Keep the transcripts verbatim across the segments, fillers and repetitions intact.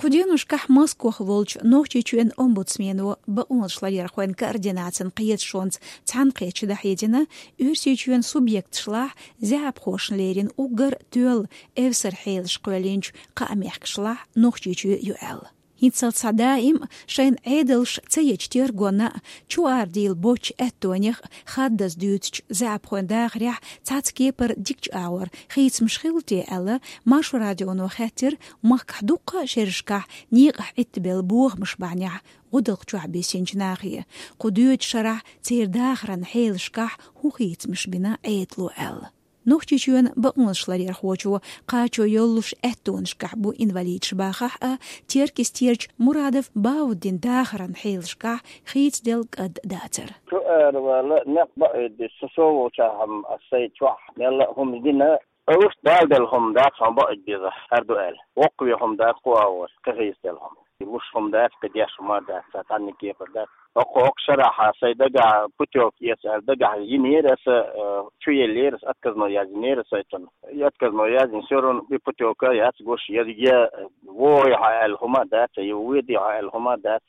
Цу деношкахь Москвахь волчу Нохчийчоьнан омбудсмено бакъонашларъярхойн координацин кхеташонца цхьаьнакхеташ дӀахьедина, Оьрсийчоьнан субъекташлахь заьӀапхошна лерина уггар тоьлла эвсара хьелаш кхоьллинчу кхаа мехкашлахь Нохчийчоь ю аьлла. ХӀинццалц схьа даим шайн Ӏедалш ца ечу тергонна а, чу арадийла боцчу аьттонех а хаддаза дуьйцучу заьӀапхойн дахарехь цхьацца кепара дикачу агӀор хийцамаш хилла те аьлла, Маршо радионо хаьттира махкахь дуккха а шерашкахь некъахь Ӏиттабелла бохамаш бахьанехь гӀудалкх чохь бисинчу нахе, кху доьдучу шарахь церан дахаран хьелашкахь хӀун хийцамаш бина Ӏедало аьлла. Нохчийчоьнан бакъонашларъярхочо кхачо йоллуш аьттонашкахь бу инвалидаш бахахь а, Теркйистерчу Мурадов Бауддин дахаран хьелашкахь хийцаделла кӀад дацара. Чу аравала некъ баийдеш, со, со волчохь-м ас сайн чохь мелла а хӀума гина, уьш далделла хӀума дац хьуна баийдеш, хӀара ду аьлла. Воккхаве хӀума дац кху агӀор, кхин хийцаделла хӀума. Луш хӀума дац, кхин деш хӀума дац, цхьа цхьанна кепара дац. Оккха, оккха шарахь сайн дагахь путёвка эца аьлла, дагахь йинера аса, э, чу еллера аса, отказной яздинера аса цунна. И отказной яздина, всё равно и путёвка яц гуш, я, я вогӀий хьо аьлла хӀума дац, я ведий хьо аьлла хӀума дац,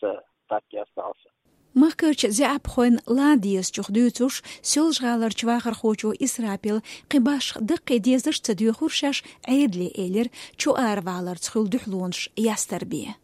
так и остался. Махкарчу заьӀапхойн лан дезачух дуьйцуш, Соьлжа-ГӀаларчу вахархочо Исрапила кхин башха даккхий дезарш ца доьхура шаьш Ӏедале, элира, чу араваларца хуьлу дуьхьалонаш ястар бен.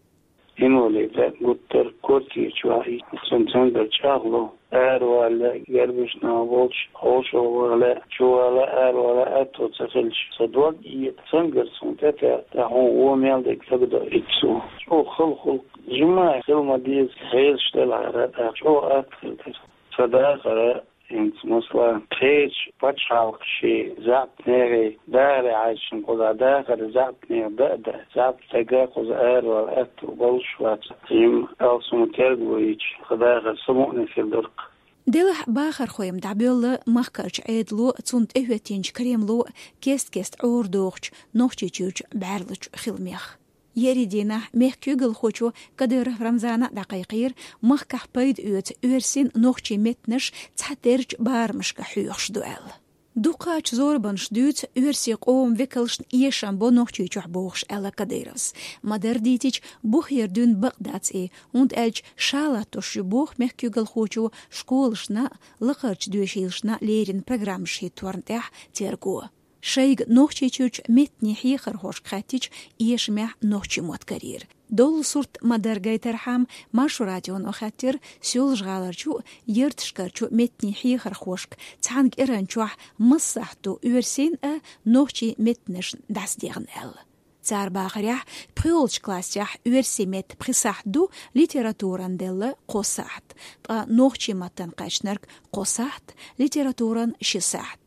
Инвалид а гуттар а квартира чохь а, цуьнан цуьнга чӀагӀло, аравала, гербашна волчу хьошалла вала, чувала, аравала аьтто ца хилча, сан дог а ета, цуьнгара суна тӀетаьӀа, тӀаккха хьуна вон мел дерг дагадоуьйту суна. ЧӀогӀа хала хуьлу, жимма хила ма деза, хьелаш делахьара, тӀаккха чӀогӀа атта хила дара. Сан дахар а, хӀинца, масала, кхечу пачхьалкхашкахь заьӀап нехан дахаре хьаьжча, кхузахь дахар заьӀап нехан дан а дан, заьӀап стага кхуза аравала аьтто болуш вац. Цуьнан алсам терго йича, сан дахар самукъане хир дара-кх. Делахь бахархой-м дӀабоьлла махкарчу Ӏедало, цунна тӀехӀоьттинчу Кремло кест-кеста Ӏорадохучу Нохчийчуьрчу бӀаьрлагӀчу хиламех. Еарин дийнахь мехкан куьйгалхочо Кадыров Рамзана дӀакхайкхийра махкахь пайда оьцу оьрсийн, нохчийн меттанаш цхьатеррачу барамашка хьоьхуш ду аьлла. Дукхачу зорбанаш дуьйцу оьрсийн къоман векалшна эшам бо Нохчийчохь бохуш, аьлла Кадыровс. Ма-дарра дийцича, бухера дуьйна бакъ дац и, хӀунда аьлча ша латтош ю боху мехкан куьйгалхочо школашна а, лакхарчу доьшийлашна а леррина программаш хӀитторна тӀехь терго. Шайга Нохчийчуьрчу меттанийн хьехархошка хаьттича, эшамехь нохчийн мотт карийра. Доллу сурт ма-дарра гайтархьама, Маршо радионо хаьттира Соьлжа-ГӀаларчу а, Ярташкарчу а меттанийн хьехархошка, цхьана кӀиранчохь масса сахьт ду оьрсийн а, нохчийн меттанашна дӀасадехна аьлла. Цара бахарехь, пхоьалгӀачу классехь оьрсийн меттан пхи сахьт ду, литературан делла кхо сахьт, ткъа нохчийн маттана кхаьчнарг кхо сахьт, литературан ши сахьт.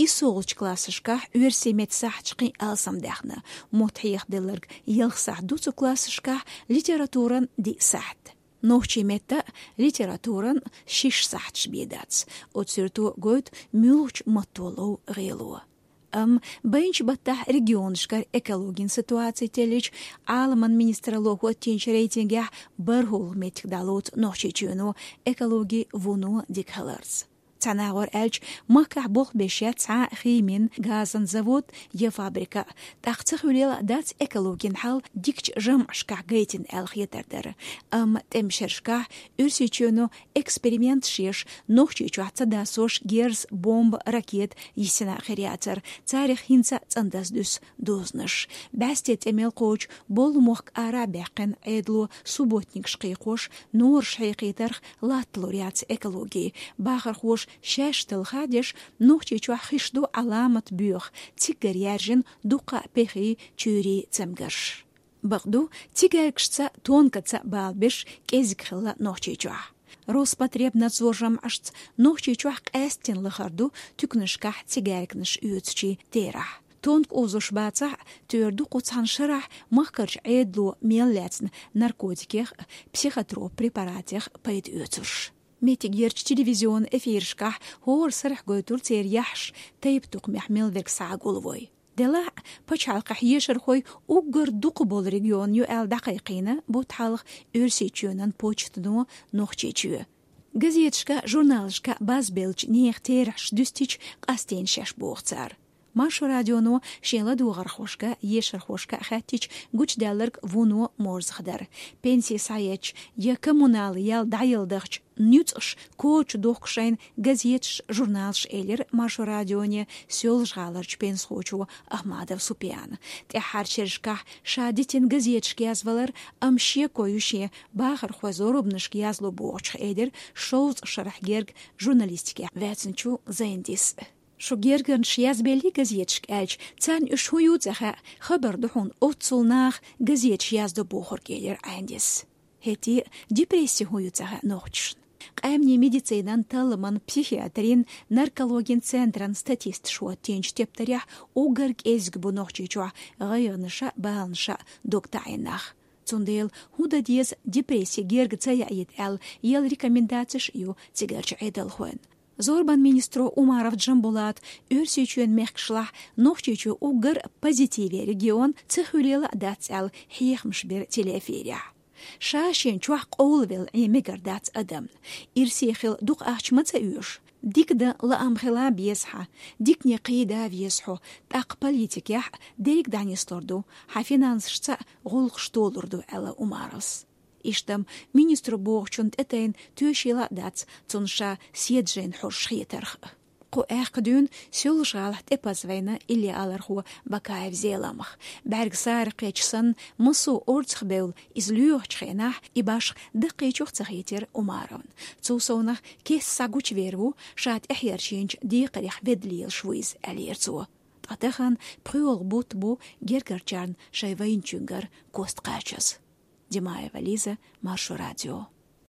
ИссолгӀачу классашкахь оьрсийн меттан сахьташ кхин алсамдаьхна, мотт хьехаделларг ялх сахьт ду цу классашкахь, литературан диъ сахьт. Нохчийн меттан а, литературан а шиш сахьташ бен дац. Оцу суьрто гойту муьлхачу матто лов гӀело. Амма байначу баттахь регионашкара экологин ситуаци теллича, Ӏаламан министралло хӀоттийначу рейтингехь бархӀалгӀа меттиг дӀалоцу Нохчийчоьно, экологин вуно дика хиларца. Цхьана агӀор аьлча, махкахь болх беш яц цхьа а химин, газан завод я фабрика, тӀаккха ца хуьлийла дац экологин хьал дикачу жамӀашкахь гайтина аьлла хетар дара. Амма тӀеман шерашкахь Оьрсийчоьно эксперименташ еш, Нохчийчохь ца дасош герз, бомба, ракета йисина а хир яцара, царах хӀинца а цӀандаза дуьсу дозанаш. БӀаьсте тӀе мел кхочу болу мохк ара а баьккхина, Ӏедало субботникаш кхайкхош, нораш хьекхийтарх латталур яц экологи. Бахархоша шаьш талха деш, Нохчийчохь хиш ду Ӏаламат боьха, циггара яьржина дуккха а пехи, чуьйри цамгарш. Бакъду, цигаьркашца, тонкаца балабеш кӀезиг хилла Нохчийчохь. Роспотребнадзор жамӀашца Нохчийчохь къаьсттина лахара ду туьканашкахь цигаьрканаш оьцучийн терахь. Тонка узуш бацахь а, тӀера ду кху цхьана шарахь махкарчу Ӏедало мел лаьцна наркотикех а, психотроп препаратех а пайда оьцурш. Меттигерчу телевизион эфирашкахь хӀора сарахь гойтура церан яххьаш тайп-тукхамехь мел верг схьа а гулвой. Делахь а, пачхьалкхехь ешархой уггар дукха болу регион ю аьлла дӀакхайкхийна бутт хьалха Оьрсийчоьнан почтано Нохчийчоь. Газеташка, журналашка базбеллачу нехан терахьаш дуьстича, къастийна шаьш боху цара. Маршо радионо шен ладогӀархошка, ешархошка хаьттича, гучадаьлларг вуно морзах дара. Пенси схьаетташ я коммунал ял дӀаяла дахча нуьцкъаш коча дохкушайн газеташ, журналаш, элира Маршо радионе Соьлжа-ГӀаларчу пенсхочо Ахмадов Супиана. ТӀаьххьарчу шерашкахь ша дитина газеташка язвалар, амма шеко ю шен бахархой зорбанашка язло бохучух, элира шовзткъа шарахь герга журналистикехь ваьцначу Зайндис. Шу гергарнаш язбеллий газеташка аьлча, царна уьш хӀун ю ца хаьа, хабар ду хьуна оццул наха газеташ яздо бохург, элира Ӏайндис. ХӀетте а депресси хӀун ю ца хаьа нохчашна. Къаьмнийн медицинан, талламан, психиатрин, наркологин центран статисташа хӀоттийначу тептарехь уггар кӀезиг бу Нохчийчохь гӀайгӀанаша, баланаша дог таӀийна нах. Цундела хӀун дан деза депресси герга ца яийта аьлла, ял рекомендацеш ю цигарчу Ӏедалхойн. Зорбан министро Умаров Джамбулата Оьрсийчоьнан мехкашлахь Нохчийчоь уггар позитиве регион ца хуьлийла а дац аьлла, хьехамаш бира телеэфирехь. Ша шен чохь къовлавелла Ӏен мегар дац адамна. Ирсе хила дукха ахча ма ца оьшу. Дика дан лаам хила беза хьан, дикане кхийда веза хьо, тӀаккха политикехь дерриг дӀанислур ду, хьан финансашца гӀуллакхаш толур ду, аьлла Умаровс. Иштта-м министро бохучунна тӀетайна тоьшийла а дац цунна ша седажайна хьожуш хетарх. Кху аьхка дуьйна Соьлжа-ГӀалахь тӀепаза вайна иллиалархо Бакаев Зеламха. БӀаьрг саракхечча санна, массо а орцах бевлла, иза лоьхучу хенахь и башха даккхийчух ца хийтира Умаровна. Цул совнах кеста схьагучувер ву, ша тӀехьерчийначу декхарех ведда лелаш ву иза, аьллера цо. Ткъа тахана пхоьалгӀа бутт бу гергарчарна шайн вайначуьнгара кост кхачаза. Димаева Лиза, Маршо радио.